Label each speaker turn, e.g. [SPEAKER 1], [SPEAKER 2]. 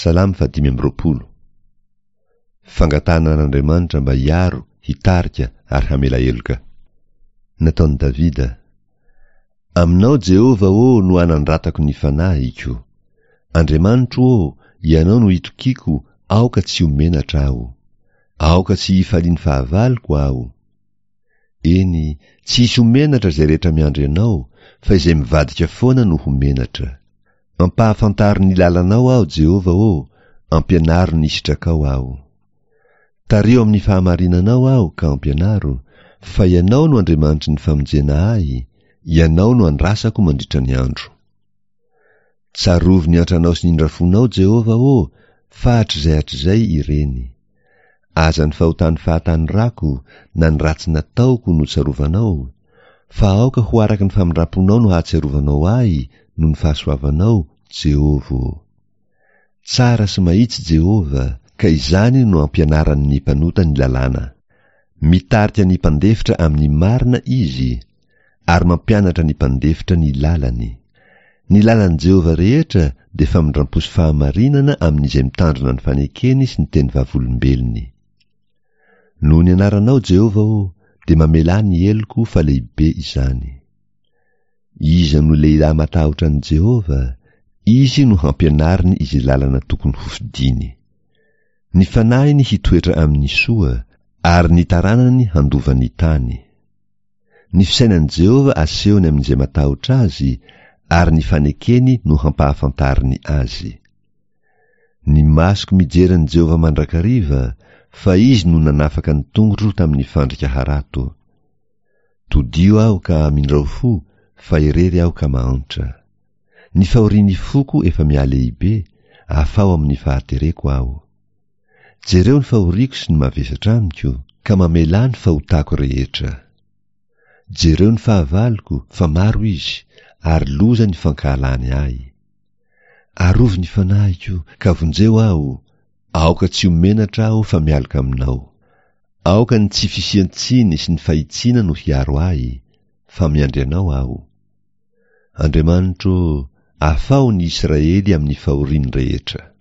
[SPEAKER 1] Salamo fahadimy amby roapolo. Fangatahana an'Andriamanitra mba hiaro, hitarika ary hamela heloka. Nataon'i Davida. Aminao Jehovah ô no anandratako ny fanahiko. Andriamanitro ô, Ianao no itokiako, aoka tsy ho menatra aho. Aoka tsy hifalian'ny fahavaloko aho. Eny, tsy hisy ho menatra izay rehetra miandry Anao, fa izay mivadika foana no ho menatra. Ampahafantaro ny lalanao aho, Jehovah ô, ampianaro ny sitrakao aho. Tariho amin'ny fahamarinanao aho ka ampianaro, fa Ianao no Andriamanitry ny famonjena ahy, Ianao no andrasako mandritra ny andro. Tsarovy ny antranao sy ny indrafonao, Jehovah ô, fa hatrizay hatrizay ireny. Aza ny fahotan'ny fahatanorako na ny ratsy nataoko no tsarovanao, fa aoka ho araka ny famindram-ponao no hahatsiarovanao ahy noho ny fahasoavanao, Jehovah ô. Tsara sy mahitsy Jehovah, ka izany no ampianarany ny mpanota ny lalàna. Mitarika ny mpandefitra amin'ny marina Izy, ary mampianatra ny mpandefitra ny lalany. Ny lalan'i Jehovah rehetra dia famindram-po sy fahamarinana amin'izay mitandrina ny fanekeny sy ny teny vavolombelony. Noho ny anaranao, Jehovah ô, dia mamelà ny heloko fa lehibe izany. Iza no lehilahy matahotra an'i Jehovah? Izy no hampianariny izay lalana tokony hofidiny. Ny fanahiny hitoetra amin'ny soa, ary ny taranany handova ny tany. Ny fisainan'i Jehovah asehony amin'izay matahotra azy, ary ny fanekeny no hampahafantariny azy. Ny masoko mijery an'i Jehovah mandrakariva, fa izy no nanafaka ny tongotro tamin'ny fandrika harato. Todio aho ka amindrao fo, fa irery aho ka mahantra. Ny fahorian'ny foko efa mihalehibe, afaho amin'ny fahatereko aho. Jereo ny fahoriako sy ny mavesatra amiko, ka mamelà ny fahotako rehetra. Jereo ny fahavaloko, fa maro izy, ary loza ny fankahalany ahy. Arovy ny fanahiko, ka vonjeo aho, aoka tsy ho menatra aho fa mialoka aminao. Aoka ny tsy fisian-tsiny sy ny fahitsiana no hiaro ahy, fa miandry anao aho. Andriamanitro ô, afaho ny Israely amin'ny fahoriany rehetra.